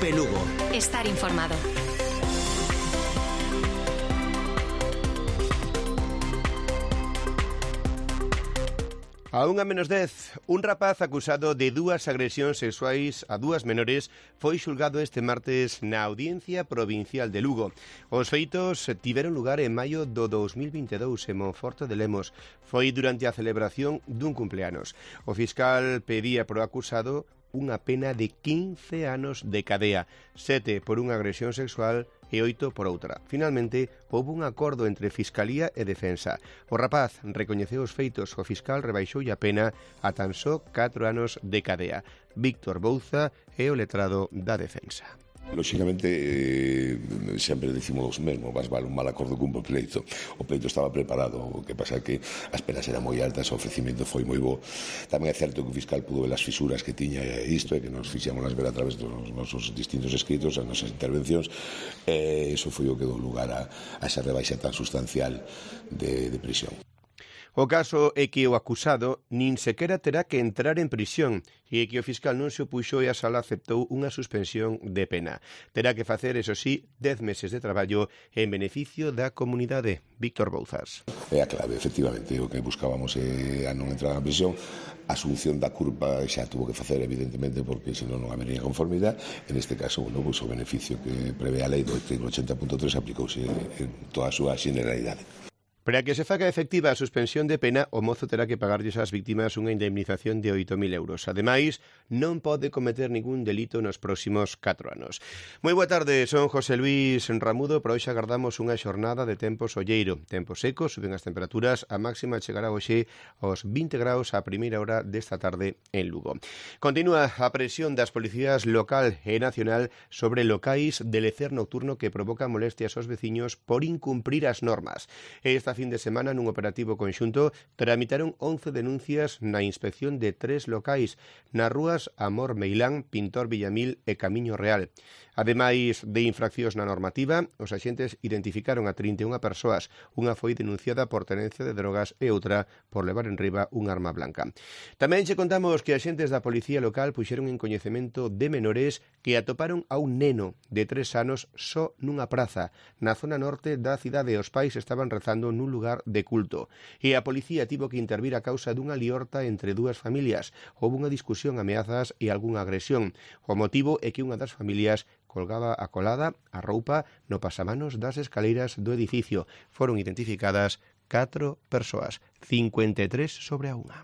Cope Lugo. Estar informado. A 1:10, un rapaz acusado de 2 agresións sexuais a 2 menores foi xulgado este martes na Audiencia Provincial de Lugo. Os feitos tiveron lugar en maio do 2022 en Monforte de Lemos. Foi durante a celebración dun cumpleanos. O fiscal pedía pro acusado unha pena de 15 anos de cadea, 7 por unha agresión sexual e 8 por outra. Finalmente, houve un acordo entre Fiscalía e Defensa. O rapaz recoñeceu os feitos, o fiscal rebaixoulle a pena a tan só 4 anos de cadea. Víctor Bouza é o letrado da Defensa. Lóxicamente, sempre decimos mesmo, vas vale un mal acordo cun bo pleito. O pleito estaba preparado, o que pasa é que as penas eran moi altas, o ofrecimento foi moi bo. Tamén é certo que o fiscal pudo ver as fisuras que tiña isto e que nos fixémolas ver a través dos nosos distintos escritos, as nosas intervencións, e iso foi o que dou lugar a esa rebaixa tan sustancial de prisión. O caso é que o acusado nin sequera terá que entrar en prisión e que o fiscal non se opuxo e a sala aceptou unha suspensión de pena. Terá que facer, eso sí, 10 meses de traballo en beneficio da comunidade. Víctor Bouzas. É a clave, efectivamente, o que buscábamos é a non entrar na prisión. A asunción da culpa xa tuvo que facer, evidentemente, porque senón non habería conformidade. En este caso, bueno, pues, o beneficio que prevé a lei do artigo 80.3 aplicouse en toda a súa generalidade. Para que se faga efectiva a suspensión de pena, o mozo terá que pagarlles ás víctimas unha indemnización de 8.000 euros. Ademais, non pode cometer ningún delito nos próximos 4 anos. Moi boa tarde, son José Luis Ramudo. Para hoxe agardamos unha xornada de tempo solleiro. Tempo seco, suben as temperaturas, a máxima chegará hoxe aos 20 graus a primeira hora desta tarde en Lugo. Continúa a presión das policías local e nacional sobre locais de lecer nocturno que provocan molestias aos veciños por incumprir as normas. Esta fin de semana, nun operativo conxunto, tramitaron 11 denuncias na inspección de 3 locais nas rúas Amor Meilán, Pintor Villamil e Camiño Real. Ademais de infraccións na normativa, os axentes identificaron a 31 persoas. Unha foi denunciada por tenencia de drogas e outra por levar en riba un arma blanca. Tamén che contamos que axentes da policía local puxeron en coñecemento de menores que atoparon a un neno de 3 anos só nunha praza. Na zona norte da cidade, os pais estaban rezando nun lugar de culto. E a policía tivo que intervir a causa dunha liorta entre 2 familias. Houve unha discusión, ameazas e algunha agresión. O motivo é que unha das familias colgaba a colada a roupa no pasamanos das escaleiras do edificio. Foron identificadas 4 persoas, 53 sobre a unha.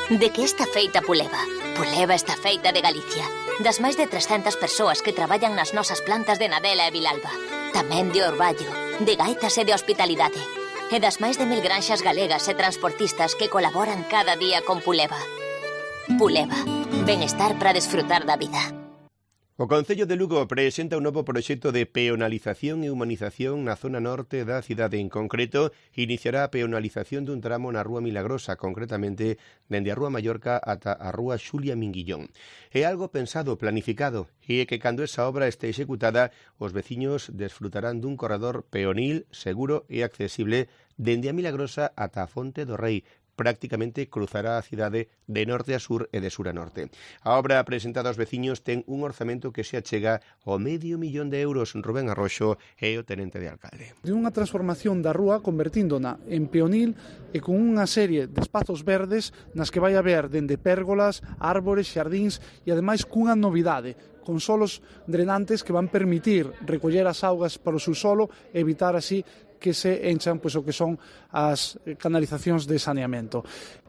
De que está feita Puleva? Puleva está feita de Galicia. Das máis de 300 persoas que traballan nas nosas plantas de Nadela e Vilalba. Tamén de Orballo, de Gaitas e de Hospitalidade. E das máis de 1000 granxas galegas e transportistas que colaboran cada día con Puleva. Puleva, benestar para desfrutar da vida. O Concello de Lugo presenta un novo proxecto de peonalización e humanización na zona norte da cidade. En concreto, iniciará a peonalización dun tramo na Rúa Milagrosa, concretamente dende a Rúa Mallorca ata a Rúa Xulia Minguillón. É algo pensado, planificado, e é que cando esa obra este executada, os veciños desfrutarán dun corredor peonil, seguro e accesible dende a Milagrosa ata a Fonte do Rei. Prácticamente cruzará a cidade de norte a sur e de sur a norte. A obra presentada aos veciños ten un orzamento que se achega ao €500.000. Rubén Arroxo é o tenente de alcalde. De unha transformación da rúa convertíndona en peonil e con unha serie de espazos verdes nas que vai haber dende pérgolas, árbores, xardíns e ademais cunha novidade, con solos drenantes que van permitir recoller as augas para o subsolo e evitar así que se enchan pois, o que son as canalizacións de saneamento.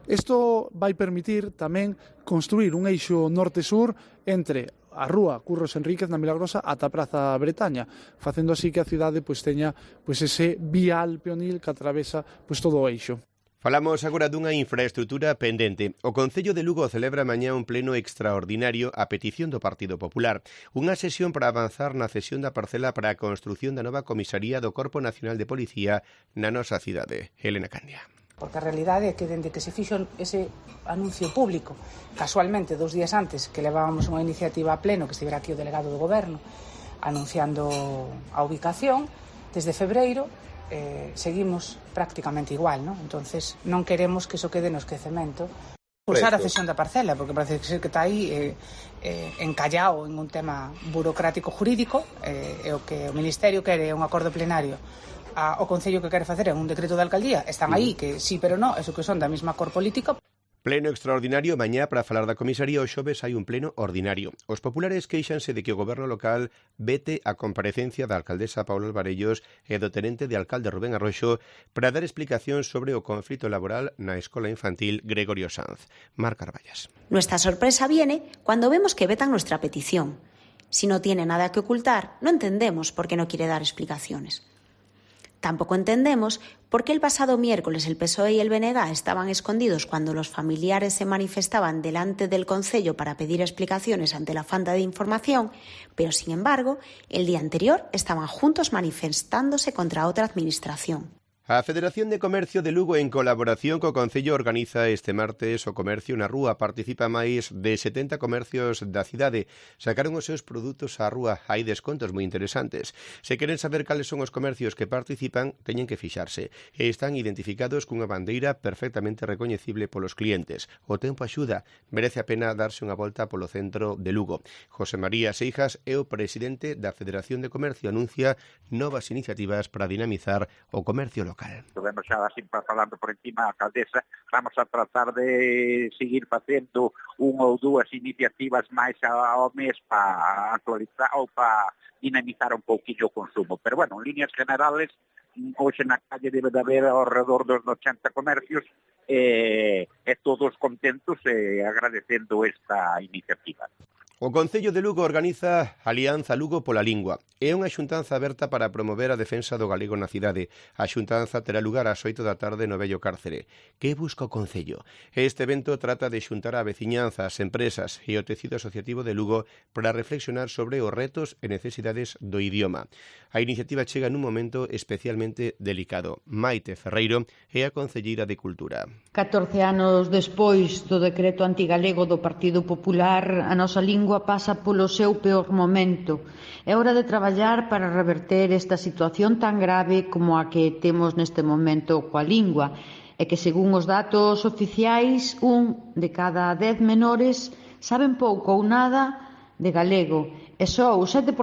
Isto vai permitir tamén construir un eixo norte-sur entre a rúa Curros Enríquez na Milagrosa ata a Praza Bretaña, facendo así que a cidade pois, teña pois, ese vial peonil que atravesa pois, todo o eixo. Falamos agora dunha infraestrutura pendente. O Concello de Lugo celebra mañá un pleno extraordinario a petición do Partido Popular. Unha sesión para avanzar na cesión da parcela para a construción da nova comisaría do Corpo Nacional de Policía na nosa cidade. Elena Candia. Porque a realidade é que dende que se fixo ese anuncio público, casualmente 2 días antes que levábamos unha iniciativa a pleno, que estivera aquí o delegado do Goberno, anunciando a ubicación, desde febreiro, seguimos prácticamente igual, ¿no? Entonces non queremos que iso quede no esquecemento. Usar a cesión da parcela, porque parece ser que está aí encallado en un tema burocrático jurídico, e o que o Ministerio quere é un acordo plenario. O Concello que quere facer é un decreto de alcaldía. Están aí que sí, pero no, eso que son da mesma cor política. Pleno extraordinario mañá para falar da comisaría. O xoves hai un pleno ordinario. Os populares queixanse de que o goberno local vete a comparecencia da alcaldesa Paula Alvarellos e do tenente de alcalde Rubén Arroxo para dar explicacións sobre o conflito laboral na escola infantil Gregorio Sanz. Mar Carballas. Nuestra sorpresa viene cuando vemos que vetan nuestra petición. Si no tiene nada que ocultar, no entendemos por qué no quiere dar explicaciones. Tampoco entendemos por qué el pasado miércoles el PSOE y el BNG estaban escondidos cuando los familiares se manifestaban delante del Concello para pedir explicaciones ante la falta de información, pero sin embargo, el día anterior estaban juntos manifestándose contra otra administración. A Federación de Comercio de Lugo, en colaboración co Concello, organiza este martes o comercio na rúa. Participa máis de 70 comercios da cidade. Sacaron os seus produtos á rúa. Hai descontos moi interesantes. Se queren saber cales son os comercios que participan, teñen que fixarse. E están identificados cunha bandeira perfectamente recoñecible polos clientes. O tempo axuda. Merece a pena darse unha volta polo centro de Lugo. José María Seijas é o presidente da Federación de Comercio. Anuncia novas iniciativas para dinamizar o comercio local. Vemos xa así falando por encima a alcaldesa, vamos a tratar de seguir facendo unha ou dúas iniciativas máis ao mes para actualizar ou para dinamizar un pouquillo o consumo. Pero bueno, en líneas generales, hoxe na calle debe de haber ao redor dos 80 comercios e todos contentos e agradecendo esta iniciativa. O Concello de Lugo organiza Alianza Lugo pola Lingua. É unha xuntanza aberta para promover a defensa do galego na cidade. A xuntanza terá lugar ás 8 da tarde no vello cárcere. Que busca o Concello? Este evento trata de xuntar a veciñanza, as empresas e o tecido asociativo de Lugo para reflexionar sobre os retos e necesidades do idioma. A iniciativa chega nun momento especialmente delicado. Maite Ferreiro é a concelleira de Cultura. 14 anos despois do decreto antigalego do Partido Popular, a nosa lingua pasa polo seu peor momento. É hora de traballar para reverter esta situación tan grave como a que temos neste momento coa lingua, e que, según os datos oficiais, 1 de cada 10 menores saben pouco ou nada de galego, e só o 7%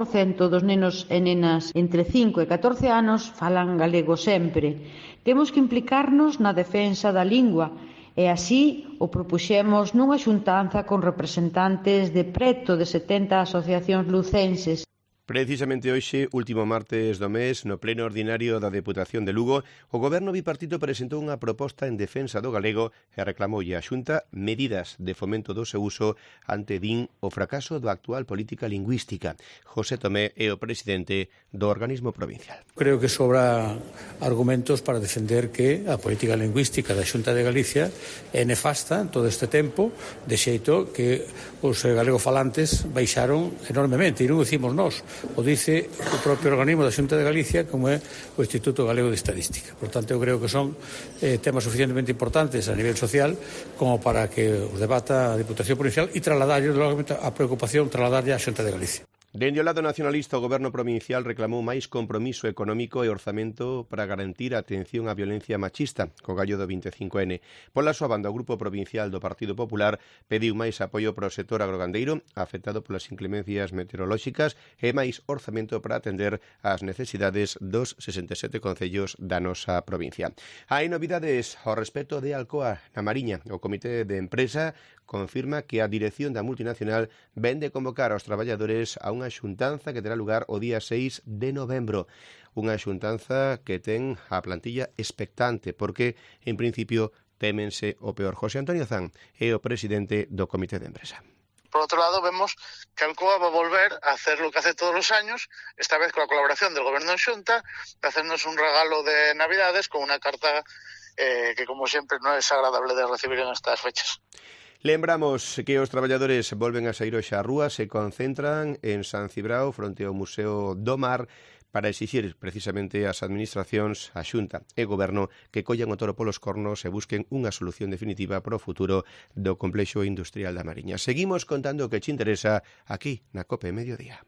dos nenos e nenas entre 5 e 14 anos falan galego sempre. Temos que implicarnos na defensa da lingua, e así o propuxemos nunha xuntanza con representantes de preto de 70 asociacións lucenses. Precisamente hoxe, último martes do mes, no pleno ordinario da Deputación de Lugo, o Goberno bipartito presentou unha proposta en defensa do galego e reclamoulle á Xunta medidas de fomento do seu uso ante, din, o fracaso da actual política lingüística. José Tomé é o presidente do organismo provincial. Creo que sobra argumentos para defender que a política lingüística da Xunta de Galicia é nefasta en todo este tempo, de xeito que os galegofalantes baixaron enormemente, e non o dicimos nós. O dice o propio organismo da Xunta de Galicia, como é o Instituto Galego de Estadística. Por tanto, eu creo que son temas suficientemente importantes a nivel social como para que os debata a Diputación Provincial e trasladarlle a preocupación trasladarlle á Xunta de Galicia. Dende o lado nacionalista, o Goberno provincial reclamou máis compromiso económico e orzamento para garantir a atención á violencia machista, co gallo do 25N. Pola súa banda, o Grupo Provincial do Partido Popular pediu máis apoio para o sector agrogandeiro, afectado polas inclemencias meteorolóxicas, e máis orzamento para atender ás necesidades dos 67 concellos da nosa provincia. Hai novidades ao respecto de Alcoa na Mariña. O Comité de Empresa confirma que a dirección da multinacional vende convocar aos traballadores a unha xuntanza que terá lugar o día 6 de novembro. Unha xuntanza que ten a plantilla expectante porque, en principio, témense o peor. José Antonio Zan é o presidente do Comité de Empresa. Por otro lado, vemos que Alcoa va a volver a hacer lo que hace todos los años, esta vez con la colaboración del Gobierno de Xunta, de hacernos un regalo de Navidades con una carta que, como siempre, no es agradable de recibir en estas fechas. Lembramos que os traballadores volven a saír hoxe á rúa, se concentran en San Cibrao fronte ao Museo do Mar para exixir precisamente ás administracións, a Xunta e Goberno que collan o toro polos cornos e busquen unha solución definitiva para o futuro do complexo industrial da Mariña. Seguimos contando o que che interesa aquí na COPE Mediodía.